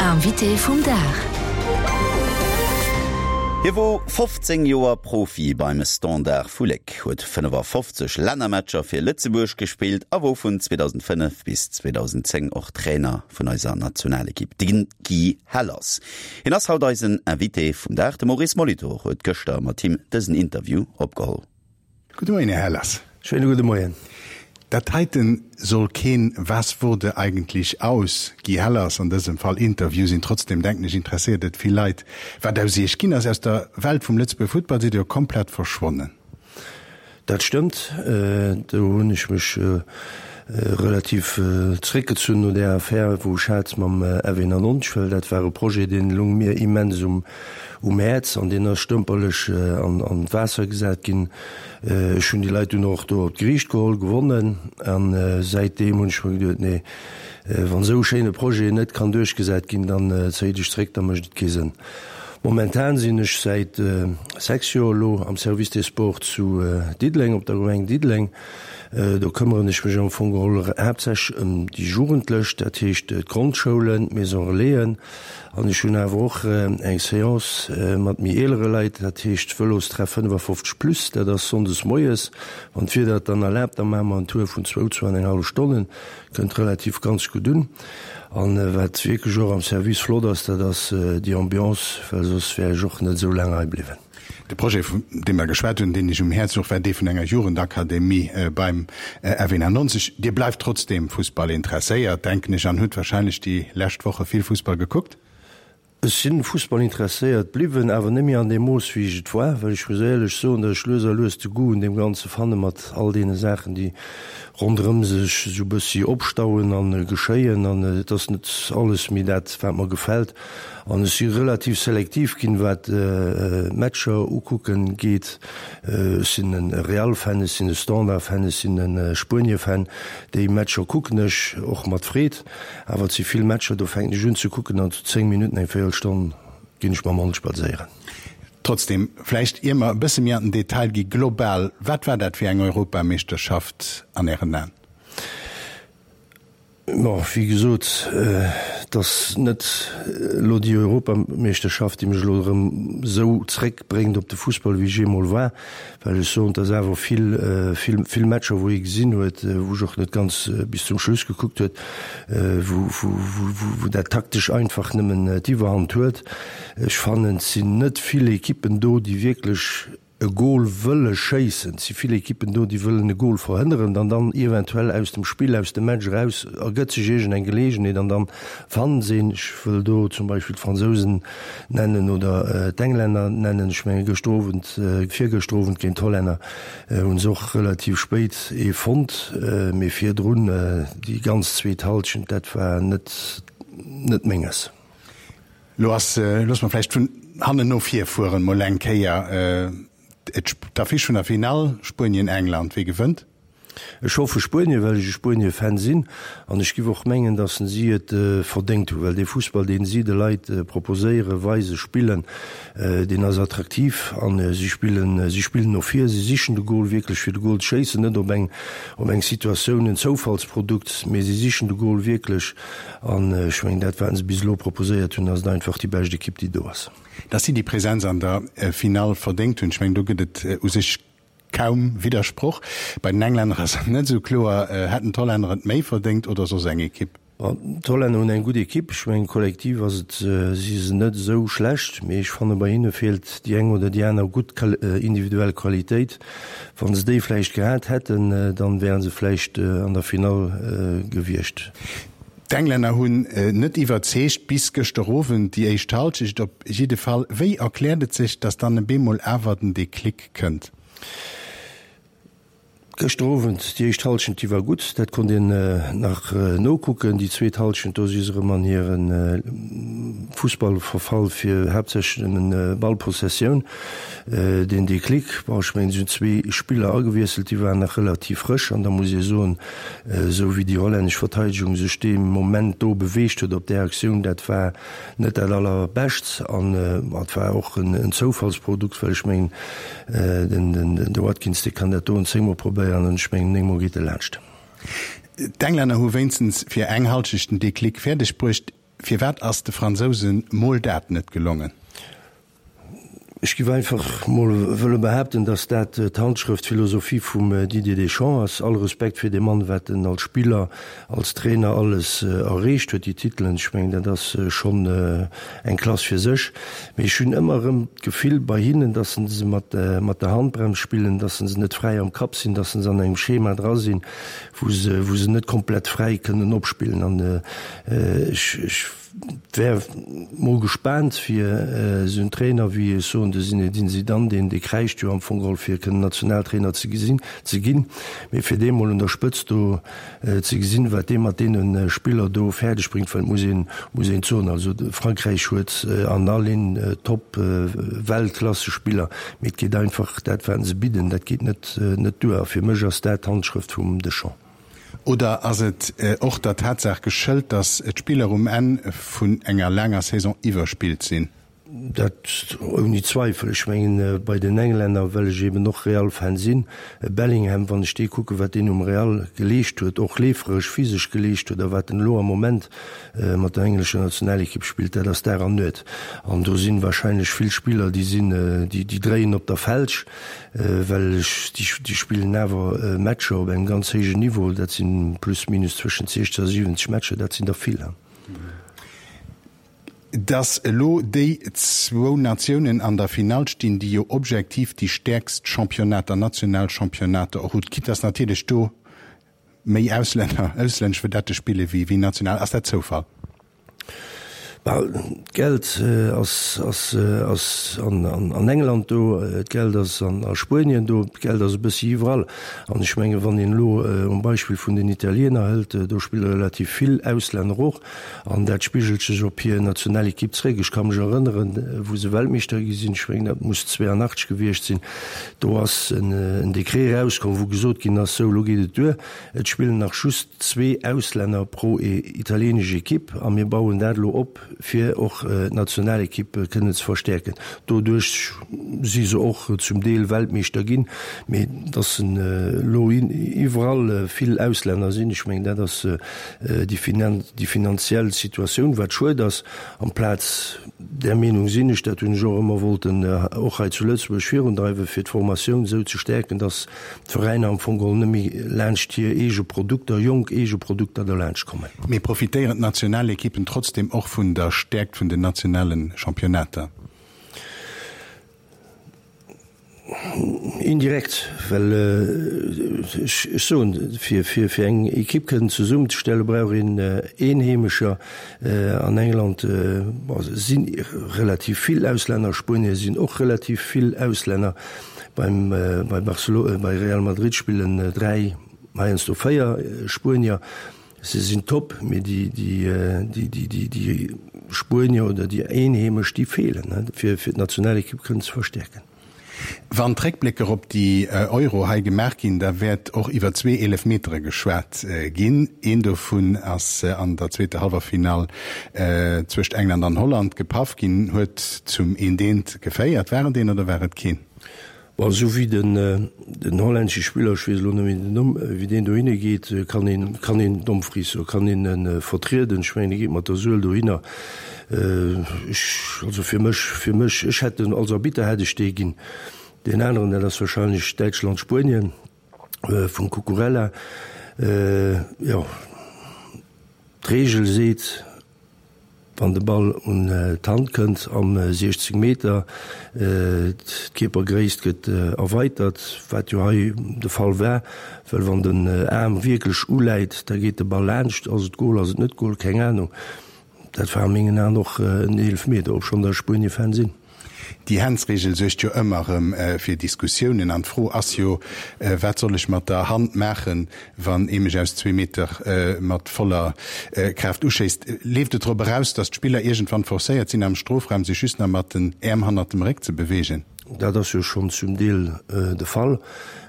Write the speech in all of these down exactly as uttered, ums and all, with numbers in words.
Invité vum Dag. Hie wor fofzéng Joer Profi beim Standard vu Léck, huet fënnefafofzeg Lännermatcher fir Lëtzebuerg gespillt a wor vun zweedausendfënnef bis zweedausendenzéng och Trainer vun eiser Nationalekipp, de Guy Hellers. Hien ass haut eisen Invité vum Dag. De Maurice Molitor huet gëschter mat him dësen Interview opgeholl. Gudde Moien, Här Hellers. Schéine gudde Moien. Dat heiten soll keen Was wurde eigentlich aus Guy Hellers, an dësem Fall Interview sinn. Trotzdem denken ech interesséiert et vill Leit, wat aus Iech ginn ass. Aus der Welt vum Lëtzebuerger Futtball sidd Dir jo komplett verschwonnen. Dat stëmmt. Do hunn ech mech relativ zréckgezunn no där Affär, wou ech hat mam F eenannonzeg, well dat war e Projet, dee loung mir immens um um Häerz an deen ass stëmperlech an an d'Waasser gesat ginn. Ech hunn déi Leit dunn och do op d'Geriicht geholl, gewonnen an säitdeem hunn ech mer geduet, nee, wann esou e schéine Projet net kann duerchgesat ginn, dann zéi dech zréck, da mécht et kee Sënn. Momentan sinn ech säit sechs Joer elo am Service des Sports zu Diddeleng, op der Gemeng Diddeleng. Do këmmeren ech mech am Fong geholl haaptsächlech ëm déi Jugendlech, dat heescht d'Grondschoulen, d'Maison Relaisen. An ech hunn awer och eng Seance mat méi eelere Leit, dat heescht Vëlostreff fënnefafofzeg plus. Dat ass sonndes moies, wann d'Wieder et dann erlaabt. Da maache mer en Tour vun zwou, zwou an eng hallef Stonnen. Kënnt relativ ganz gutt un. An wat wierklech och am Service flott ass, dat ass déi Ambiance, well soss wär ech och net esou laang hei bliwwen. De Projet, vun deem mer geschwat hunn, deen Iech um Häerz louch, war dee vun enger Jugendakademie beim F eenannonzeg. Dir bleift trotzdeem Fussball interesséiert, denken ech, an hutt wahrscheinlech déi lescht Woche vill Fussball gekuckt? Ech sinn Fussball interesséiert bliwwen, awer net méi an deem Mooss wéi ech et war, well ech muss éierlech soen, datt ech lues a lues de Goût un deem Ganze fanne mat all deene Saachen, déi ronderëm sech esou bëssi opstauen a geschéien, an et ass net alles méi dat, wat mer gefält. An ech si relativ selektiv ginn, wat d'Matcher ukucken geet. Ech sinn e Real-Fan, ech sinn e Standard-Fan, ech sinn e Spuenie-Fan. Déi Matcher kucken ech och mat Freed. Awer et si vill Matcher, do fänken ech un ze kucken an zu zéng Minutten, eng Véierelstonn ginn ech mam Hond spadséieren. Trotzdem, vläicht ier mer e bësse méi an den Detail gi, global, wat war dat fir eng Europameeschterschaft an Ären Aen? Bon, wéi gesot, et ass net elo déi Europameeschterschaft, déi mech elo erëm esou zréckbréngt op de Fussball, wéi ech eemol war, well ech soen, et ass awer vill, vill, vill Matcher, wou ee gesinn huet, wou ech och net ganz bis zum Schluss gekuckt huet, wou, wou, wou, wou dat taktesch einfach nëmmen d'Iwwerhand huet. Ech fannen, et sinn net vill Ekippen do, déi wierklech e Gol wëlle schéissen. Et si vill Ekippen do, déi wëllen e Gol verhënneren an dann eventuell aus dem Spill, aus dem Match eraus ergëtt sech iergend eng Geleegenheet an dann fannen se een. Ech wëll do zum Beispill d'Fransousen nennen oder d'Englänner nennen. Ech menge gëschter Owend, virgëschter Owend géint d'Hollänner hu se och relativ spéit ee fonnt, mee virdrun déi ganz zweet Hallschent, dat war net, net Menges. Lo ass, loosse mer vläicht vun hannen no vir fueren, mol eng Kéier d'Affiche vun der Finall, Spuenien-England, Wie gewënnt? Ech hoffe Spuenien, well ech e Spuenie-Fan sinn an ech giff och mengen, datt si et verdéngt hunn, well dee Fussball, deen si de Leit proposéieren, weisen, spillen, deen ass attraktiv an si spillen, si spillen no vir, si sichen de Gol wierklech fir de Gol ze schéissen, net op eng, op eng Situatioun, en Zoufallsprodukt, mee si sichen de Gol wierklech an ech mengen, dat wat se bis elo proposéiert hunn, ass et einfach déi bescht Ekipp, déi do ass. Datt si déi Presenz an der Finall verdéngt hunn, ech mengen, do gëtt et u sech kaum Widdersproch. Bei den Englänner ass et net esou kloer. Hätten d'Hollänner et méi verdéngt oder soss eng Ekipp? D'Hollänner hunn eng gutt Ekipp. Ech mengen, kollektiv ass et, si se net esou schlecht, mee ech fanne bei hinne feelt déi eng oder déi aner gutt individuell Qualitéit. Wa se déi vläicht gehat hätten, dann wäre se vläicht an der Finall gewiescht. D'Englänner hunn net iwwerzeegt, bis gëschter Owend, déi éischt Halschecht op jidde Fall. Wéi erkläert et sech, datt dann e bemol awer den Déclic kënnt? Gëschter Owend, déi éischt Halschent, déi war gutt, dat konnt een nach nokucken. Déi zweet Halschent, do si se erëm an hire Fussball verfall, fir haaptsächlech nëmmen Ballpossessioun. Deen Déclic, bon, ech mengen, si hunn zwee Spiller agewiesselt, déi waren nach relativ frësch an da muss ee soen, esou wéi déi hollännesch Verteidegung sech dee Moment do beweegt huet op där Aktioun, dat war net dat allerbescht an et war och en Zoufallsprodukt, well ech mengen, den de Watkins, dee kann dat doen zéngmol probéieren an ech mengen, néngmol geet e laanscht. D'Englänner hu wéinstens fir eng Halschecht den Déclic fäerdeg bruecht. Firwat ass de Fransousen mol dat net gelongen? Ech giff einfach mol wëlle behaapten, dass dat d'Handschrëft, d'Philosophie vum Didier Deschamps ass. All Respekt fir dee Mann, wat en als Spiller, als Trainer alles erreecht huet, déi Titelen, ech mengen dat ass schonn eng Klass fir sech. Mee ech hunn ëmmer erëm d'Gefill bei hinnen, dass se mat der Handbrems spillen, dass se net fräi am Kapp sinn, dass se an engem Schema dra sinn, wou se wou se net komplett fräi kënnen opspillen. An ech ech wär mol gespaant fir esou en Trainer wéi, ech soen, de Zinedine Zidane, deen dee kräischt jo am Fong geholl fir kënnen Nationaltrainer ze gesinn, ze ginn, mee fir dee mol un der Spëtzt do ze gesinn, wat dee mat deene Spiller do fäerdeg bréngt, well et muss een, muss een soen, also Frankräich huet an all Linn top Weltklassespiller, mee et geet einfach, dat wat se bidden, dat geet net, net duer a fir mech ass dat d'Handschrëft vum Deschamps. Oder ass et och der Tatsaach geschëlt, datt d'Spiller um Enn vun enger laanger Saison iwwerspillt sinn? Dat ouni Zweifel. Ech mengen, bei den Englänner, well ech eben och Real-Fan sinn, e Bellingham, wann ech dee kucken, wat deen um Real geleescht huet, och leeferesch, physesch geleescht huet, a wat en elo am Moment mat der englescher Nationalekipp spillt, dat ass Dag an Nuet. An do si wahrscheinlech vill Spiller, déi sinn, déi dréien op der Felg. Well ech, déi spillen awer Matcher op engem ganz héijen Niveau, dat si plus minus zwëschent siechzeg a siwwenzeg Matcher, dat sinn der vill. Datt elo déi zwou Natiounen an der Finall stinn, déi jo objektiv déi stäerkst Championnater, national Championnater och hunn, quitte datt natierlech do méi Auslänner, auslännesch Vedette spille wéi national, ass dat Zoufall? D'Geld ass ass ass an an England do, d'Geld ass an a Spuenien do, d'Geld ass e bëssi iwwerall. An ech menge wann een elo um Beispill vun den Italiener hëlt, do spille relativ vill Auslänner och an dat spigelt sech op hir Nationalekipp zréck. Ech ka mech erënneren, wou se Weltmeeschter gi sinn, ech mengen dat muss zweeanachtzeg gewiescht sinn, do ass en en Dekret erauskomm, wou gesot ginn ass, sou elo geet et duer, et spillen nach just zwee Auslänner pro italienesch Ekipp a mir bauen dat elo op, fir och d'Nationalekipp kënnen ze verstäerken. Doduerch si se och zum Deel Weltmeeschter ginn. Mee datt elo iwwerall vill Auslänner sinn, ech mengen dat ass déi finanziell Situatioun, wat schued ass. Amplaz, där Meenung sinn ech, dat hunn ech och ëmmer wollten och hei zu Lëtzebuerg virundreiwen, fir d'Formatioun esou ze stäerken, datt d'Veräiner am Fong geholl net méi laanscht hir eege Produkter, jonk eege Produkter derlaanscht kommen. Mee profitéieren d'Nationalekippen trotzdem och vun der Stäerkt vun den nationale Championnater? Indirekt, well ech soen, fir fir eng Ekipp kënnen zesummenzestellen, brauch een Eenheemescher. An England si relativ vill Auslänner, Spuenier sinn och relativ vill Auslänner. Beim bei Barcelo bei Real Madrid spillen dräi, heiansdo véier Spuenier. Se sinn top, mee déi déi déi déi déi Spuenier oder déi Eenheemesch, déi feelen, fir fir d'Nationalekipp kënnen ze verstäerken. Wann d'Réckblécker op déi Euro hei gemaach ginn, da wäert och iwwer zwee Eelefmetere geschwat ginn. Een dovun ass an der zweeter Hallwerfinall zwëscht England an Holland gepaff ginn, huet zum eent eent geféiert. War et een oder war et keen? Bon, esou wéi den den hollännesche Spiller, ech weess elo net méi den Numm, wéi deen dohinne geet, kann een, kann een Dumfries, so kann een e vertrieden. Ech mengen, e geet mat der Suel dohinner. Ech, also fir mech, fir mech, ech hätt en, als Arbitter hätt ech dee ginn. Deen aneren, dat ass wahrscheinlech Däitschland-Spuenien vum Cucurella. Jo, d'Reegel seet, Wann de Ball un d'Hand kënnt am siechzeg Meter, d'Kierpergréisst gëtt erweitert, wat jo hei de Fall war, well wann den Aarm wierklech uläit, da geet de Ball laanscht. Ass et Gol, ass et net Gol, keng Anung. Dat war a mengen Aen och en Eelefmeter, obschonn der Spuenie-Fan sinn. Déi Handsregel suergt jo ëmmer erëm fir Diskussiounen an d'Fro ass jo, Wat soll ech mat der Hand maachen, wann ee mech aus zwee Meter mat voller Kraaft uschéisst? Leeft et drop eraus, datt d'Spiller iergendwann forcéiert sinn, am Strofraum sech just nach mat den Äerm hannert dem Réck ze beweegen? Dat ass jo schonn zum Deel de Fall.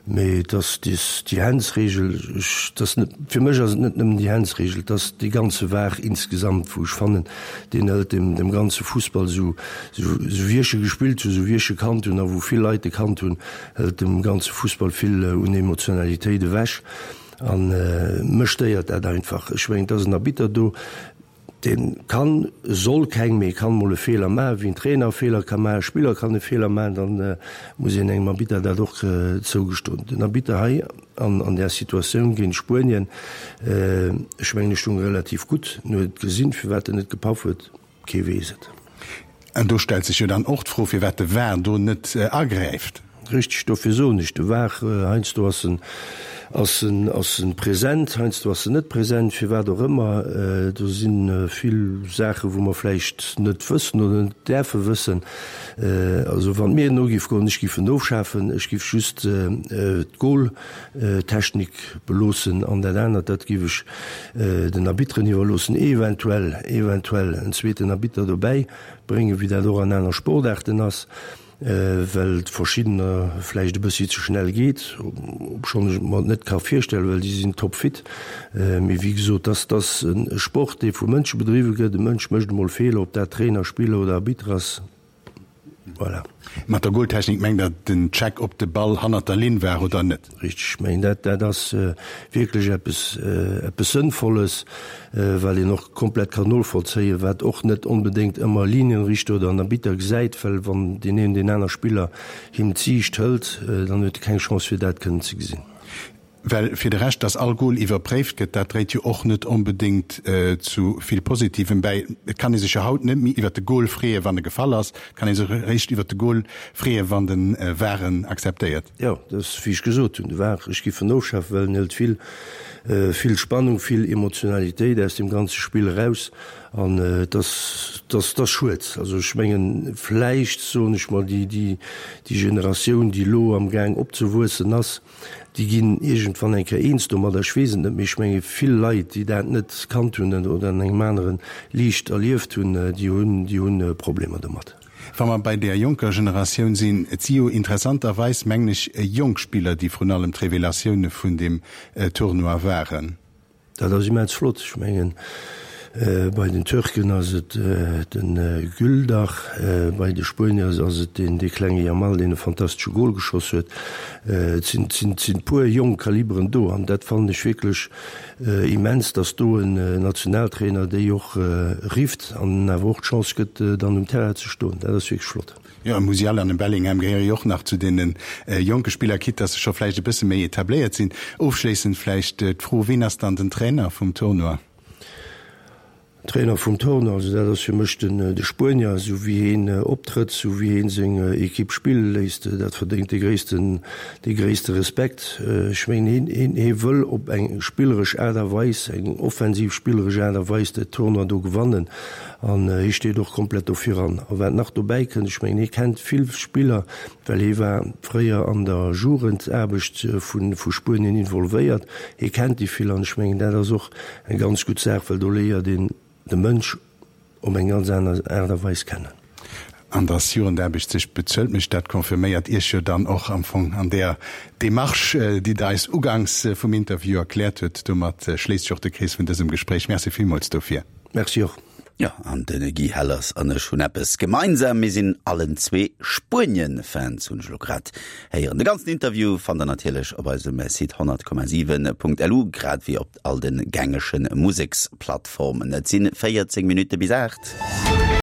Mee et ass déi Handsregel, ech, et ass net, fir mech ass et net nëmmen déi Handsregel, et ass dee ganze VAR insgesamt, wou ech fannen, deen hëlt dem, dem ganze Fussball, esou, esou wéi ech e gespillt hunn, esou wéi ech e kannt hunn a wou vill Leit e kannt hunn, hëlt dem ganze Fussball vill un Emotionalitéit ewech. A mech stéiert dat einfach. Ech mengen, et ass en Arbitter do. Dee kann, soll keng, mee kann mol e Feeler maachen, wéi en Trainer e Feeler ka maachen, e Spiller kann e Feeler maachen, dann muss een engem Arbitter dat och zougestoen. Den Arbitter hei an an där Situatioun géint Spuenien, ech mengen, e stung relativ gutt, en huet et gesinn, firwat en net gepaff huet, kee weess et. An do stellt sech jo dann och d'Fro, firwat de var do net agräift. Richteg, dofir soen ech, de var, heiansdo ass en, ass en, ass en present, heiansdo ass en net present, firwat och ëmmer. Do si vill Saachen, wou mer vläicht net wëssen oder net däerfe wëssen. Also wann et mir no géif goen, ech géif en ofschafen, ech géif just d'Goaltechnik beloossen an dat anert, dat géif ech den Arbitteren iwwerloossen, eventuell, eventuell en zweeten Arbitter dobäi bréngen, wéi dat och an aner Sportaarten ass. Well et verschiddener vläicht e bëssi ze schnell geet, obschonn ech et mer net ka virstellen, well déi sinn topfit. Mee wéi gesot, dass ass e Sport, dee vu Mënsche bedriwwe gëtt. E Mënsch mécht emol Feeler, ob dat Trainer, Spiller oder Arbitter ass. Voilà. Mat der Goaltechnik mengt Der den Check, ob de Ball hannert der Linn war oder net? Richteg, ech mengen dat dat ass wierklech eppes eppes Sënnvolles, well een och komplett kann novollzéien, wat och net onbedéngt ëmmer e Linienrichter oder en Arbitter gesäit, well wann deen een deen aner Spiller him d'Siicht hëlt, dann huet e keng Chance fir dat kënnen ze gesinn. Well fir de Rescht, dass all Goal iwwerpréift gëtt, dat dréit jo och net onbedéngt zu vill Positivem bäi. Et kann ee sech jo haut net méi iwwert de Goal freeën, wann e gefall ass. Et kann ee sech eréischt iwwert de Goal freeën, wann de var en akzeptéiert. Jo, dat ass, wéi ech gesot hunn, de var, ech géif en ofschafen, well en hëlt vill, vill Spannung, vill Emotionalitéit aus deem ganze Spill eraus. An et ass, et ass, et ass schued. Also ech mengen, vläicht, soen ech mol, déi, déi, déi Generatioun, déi elo amgaang opzewuessen ass, Déi ginn iergendwann eng Kéier eens domadder, ech weess et net, mee ech menge vill Leit, déi dat net kannt hunn oder an engem anere Liicht erlieft hunn, déi hunn, déi hu Problemer domat. Wa mer bei där jonker Generatioun sinn, et si jo interessanterweis, mengen ech, jonk Spiller, déi vrun allem d'Revelatioune vun deem Tournoi waren. Dat ass immens flott. Ech mengen, bei den Türken ass et de Güldag, bei de Spuenier ass et deen dee klenge Yamal, deen e fantastesche Gol geschoss huet. Et sinn et sinn puer jonk Kaliberen do an dat fannen ech wierklech immens, datt do en Nationaltrainer déi och rifft an awer och d'Chance gëtt, dann um Terrain ze stoen. Dat ass wierklech flott. Jo, e Musiala an e Bellingham gehéiere jo och nach zu deene jonke Spiller, quitte dass se scho vläicht e bësse méi etabléiert sinn. Ofschléissend vläicht d'Fro, Ween ass dann den Trainer vum Tournoi? Trainer vum Tournoi, also dat ass fir mech den de Spuenier. Esou wéi heen optrëtt, esou wéi heen seng Ekipp spille léisst, dat verdéngt dee gréissten, dee gréisste Respekt. Ech mengen, heen, heen, hee wëll op eng spilleresch Aart a Weis, eng offensiv spilleresch Aart a Weis dat Tournoi do gewannen. An hie steet och komplett do viran. A wat nach dobäi kënnt, ech mengen, hie kennt vill Spiller, well hie war fréier an der Jugendaarbecht vu Spuenien involvéiert. Hie kennt déi vill an ech mengen, dat ass och eng ganz gutt Saach, well do léiert een de Mënsch op eng ganz aner Aart a Weis kennen. An dass Jugendaarbecht sech bezuelt mécht, dat confirméiert Iech jo dann och am Fong an där Demarche, déi Der eis uganks vum Interview erkläert hutt. Domat schléisst sech och de Krees vun dësem Gespréich. Merci villmools dofir. Merci och. Jo, an de Guy Hellers an ech hunn eppes gemeinsam, mir sinn allen zwee Spuenien-Fans, hunn ech elo grad héieren. De ganzen Interview fannt der natierlech op eisem Site honnert Komma siwen Punkt lu, grad wéi op all de gängege Museksplattformen. Et sinn véierzéng Minutte bis aacht.